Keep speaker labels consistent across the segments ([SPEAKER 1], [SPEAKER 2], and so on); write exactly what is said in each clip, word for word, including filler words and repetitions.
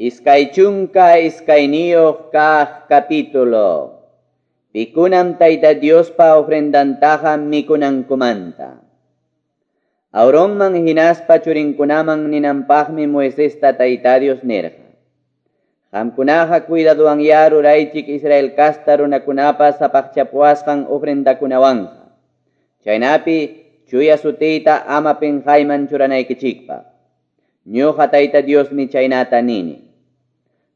[SPEAKER 1] Iskay chunka iskayniyuq kaq capítulo. Pikunam Tayta Diospa ofrendantaqa mikunankumanta. Aaronman hinaspa churinkunaman ninanpaqmi Moisesta Tayta Dios nirqa. Qamkunaqa cuidaduwanyá ruraychik Israel casta runakunapa sapaqchapuwasqan ofrendakunawanqa. Chaynapi chuya sutiyta ama pinqayman churanaykichikpaq. Ñuqa Tayta Diosmi chaynata nini.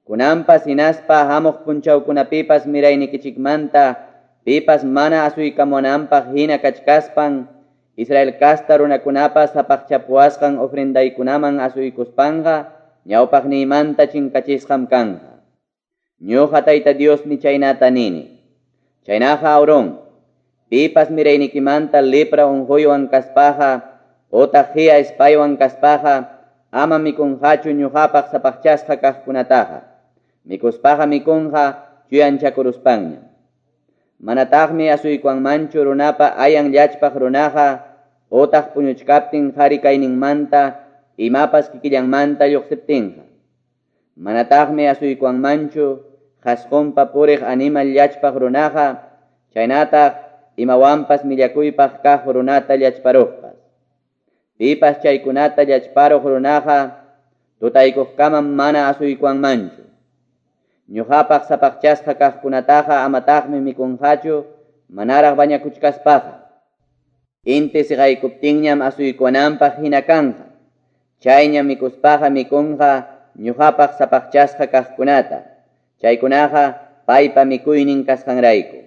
[SPEAKER 1] Kunanpas hinaspa hamuq punchawkunapipas miraynikichikmanta pipas mana asuykamunanpaq hina kachkaspan Israel casta runakunapa sapaqchapuwasqan ofrendaykunaman asuykuspanqa ñawpaqniymanta chinkachisqam kanqa. Ñuqa Tayta Diosmi chaynata nini. Chaynaqa Aarón, pipas miraynikimanta lepra unquywan kaspaqa otaq hiya ispaywan kaspaqa ama mikunqachu ñuqapaq sapaqchasqa kaqkunataqa. Mikuspaqa mikunqa chuyanchakuruspanña. Manataqmi asuykuwanmanchu runapa ayan llachpaq runaqa otaq puñuchkaptin qhari kayninmanta imapas kikillanmanta lluqsiptinqa. Manataqmi asuykuwanmanchu qhasqunpa puriq animal llachpaq runaqa chaynataq imawanpas millakuypaq kaq runata llachparuqpas. Pipas chaykunata llachparuq runaqa tutaykuqkamam mana asuykuwanmanchu. Ñuqapaq sapaqchasqa kaqkunataqa amataqmi mikunqachu manaraq bañakuchkaspaqa. Inti siqaykuptinñam asuykuwananpaq hina kanqa. Chayña mikuspaqa mikunqa ñuqapaq sapaqchasqa kaqkunata. Chaykunaqa paypa mikuynin kasqanrayku.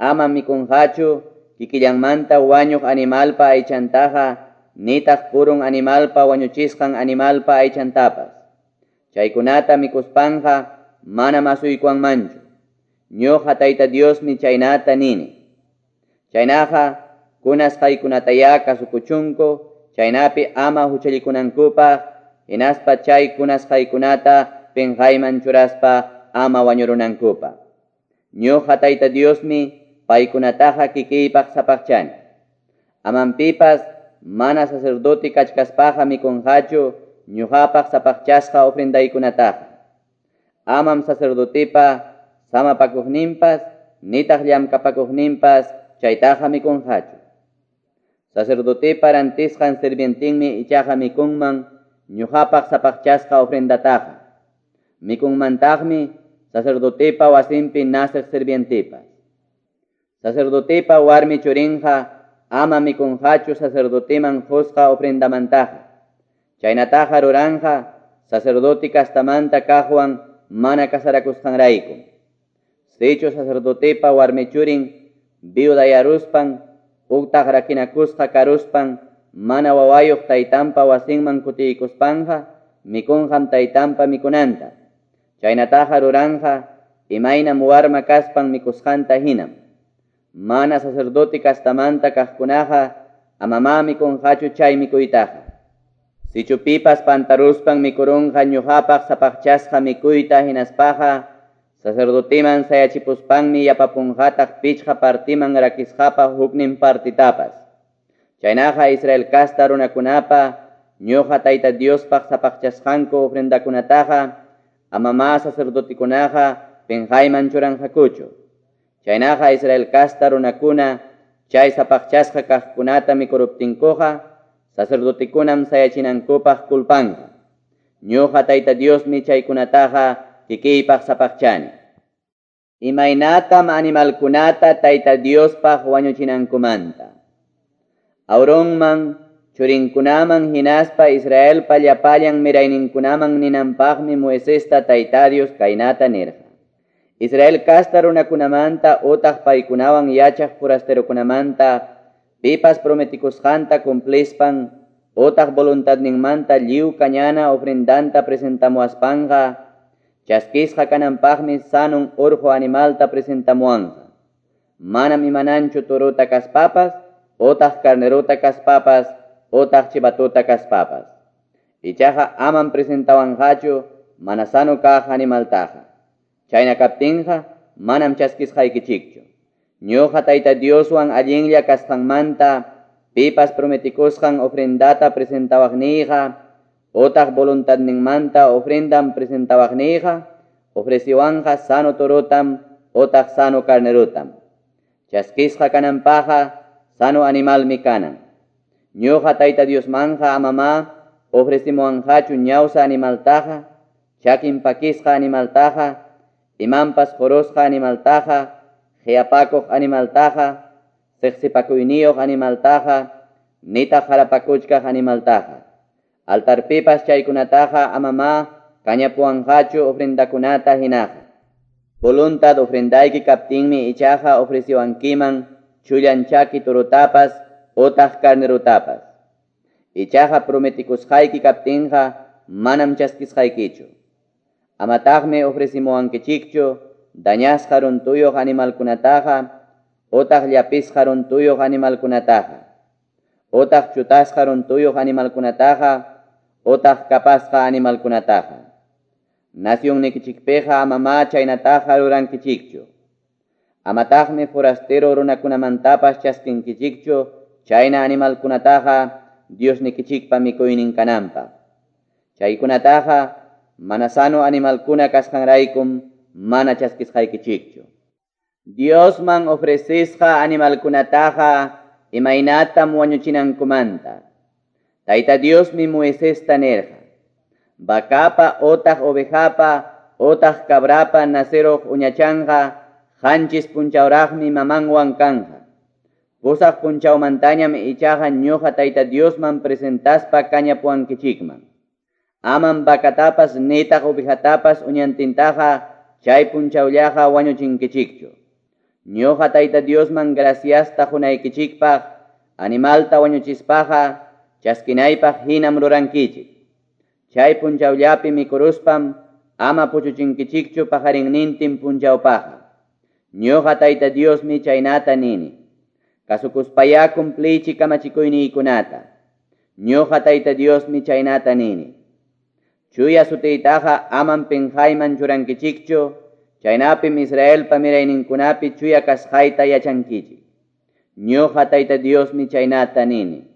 [SPEAKER 1] Ama mikunqachu kikillanmanta wañuq animalpa aychantaqa nitaq purun animalpa wañuchisqan animalpa aychantapas. Chaykunata mikuspanqa manam asuykuwanmanchu. Ñuqa Tayta Diosmi chaynata nini. Chaynaqa kunasqaykunatayá kasukuchunku chaynapi ama huchallikunankupaq hinaspa chay kunasqaykunata pinqayman churaspa ama wañurunankupaq. Ñuqa Tayta Diosmi paykunataqa kikiypaq sapaqchani. Amam pipas mana sacerdote kachkaspaqa mikunqachu ñuqapaq sapaqchasqa ofrendaykunataqa. Amam sacerdotepa samapakuqninpas nitaq llamkapakuqninpas chaytaqa mikunqachu. Sacerdotepa rantisqan sirvientinmi ichaqa mikunman ñuqapaq sapaqchasqa ofrendataqa. Mikunmantaqmi sacerdotepa wasinpi naceq sirvientepas. Sacerdotepa warmi churinqa ama mikunqachu sacerdoteman qusqa ofrendamantaqa. Chaynataqa ruranqa sacerdote castamanta kaqwan mana casarakusqanrayku. Sichu sacerdotepa warmi churin viudayaruspan utaq rakinakusqa karuspan mana wawayuq taytanpa wasinman kutiykuspanqa mikunqam taytanpa mikunanta. Chaynataqa ruranqa imaynam warma kaspan mikusqanta hinam. Mana sacerdote kastamanta kaqkunaqa amamá mikunqachu chay mikuytaqa. Sichu pipas pantaruspan mikurunqa ñuqapaq sapaqchasqa mikuyta hinaspaqa sacerdoteman sayachipuspanmi yapapunqataq pichqa partiman rakisqapa huknin partitapas. Chaynaqa Israel casta runakunapa ñuqa Tayta Diospaq sapaqchasqanku ofrendakunataqa amamá sacerdotekunaqa pinqayman churanqakuchu. Chaynaqa Israel casta runakuna chay sapaqchasqa kaqkunata mikuruptinkuqa sacerdotekunam sayachinankupaq kulpanqa. Ñuqa Tayta Diosmi chaykunataqa kikiypaq sapaqchani. Imaynatam animalkunata Tayta Diospaq wañuchinankumanta. Aaronman, churinkunaman hinaspa Israelpa llapallan mirayninkunaman ninanpaqmi Moisesta Tayta Dios kaynata nirqa. Israel casta runakunamanta utaq paykunawan yachaq forasterokunamanta pipas prometikusqanta cumplispan otaq voluntadninmanta lliw kañana ofrendanta presentamuaspanqa chaskisqa kananpaqmi sanun urqu animalta presentamuanqa. Manam imananchu turuta kaspapas otaq carnerota kaspapas otaq chivatuta kaspapas. Ichaqa amam presentawanqachu mana sano kaq animaltaqa. Chayna kaptinqa manam chaskisqaykichikchu. Ñuqa Tayta Dioswan allinlla kasqanmanta pipas prometikusqan ofrendata presentawaqniyqa Otaq voluntadninmanta ofrendan presentawaqniyqa, ofreciwanqa sano torotam otaq sano carnerotam. Chaskisqa kananpaqqa sano animalmi kanan. Ñuqa Tayta Diosmanja amama ofrecimuanqachu ñawsa animaltaqa, chakin pakisqa animaltaqa, imanpas jorosqa animaltaqa, qiapakuq animaltaqa, siqsipakuyniyuq animaltaqa, nitaq harapakuchkaq animaltaqa. Altarpipas chaykunataqa amama kañapuwanqachu ofrendakunata hinaqa. Voluntad ofrendayki kaptinmi ichaqa ofreciwankiman chullan chaki torotapas otaq carnerotapas. Ichaqa prometikusqayki kaptinqa manam chaskisqaykichu. Amataqmi ofrecimuwankichikchu dañasqa runtuyuq animalkunataqa otaq llapisqa runtuyuq animalkunataqa, otaq chutasqa runtuyuq animalkunataqa, otaq kapasqa animalkunataqa. Nacionnikichikpiqa amama chaynataqa rurankichikchu. Amataqmi forastero runakunamantapas chaskinkichikchu chayna animalkunataqa Diosnikichikpa mikuynin kananpaq. Chaykunataqa mana sano animalkuna kasqanraykum mana chaskisqaykichikchu. Diosman ofrecisqa animalkunataqa imaynatam wañuchinankumanta. Tayta Diosmi Moisesta nirqa: Vacapa otaq ovejapa otaq cabrapa naceruq uñachanqa qanchis punchawraqmi mamanwan kanja. Pusaq punchawmantañam ichaqa ñuqa Tayta Diosman presentaspa kañapuwankichikman. Amam vacatapas nitaq ovejatapas uñantintaqa chay punchawllaqa wañuchinkichikchu. Ñuqa Tayta Diosman graciasta qunaykichikpaq animalta wañuchispaqa chaskinaypaq hinam rurankichik. Chay punchawllapi mikuruspam ama puchuchinkichikchu pajarinnintin punchawpaqa. Ñuqa Tayta Diosmi chaynata nini. Kasukuspayá cumplichik kamachikuyniykunata. Ñuqa Tayta Diosmi chaynata nini. Chuya sutiytaqa amam pinqayman churankichikchu, chaynapim Israelpa mirayninkunapi chuya kasqayta yachankichik. Ñuqa Tayta Diosmi chaynata nini.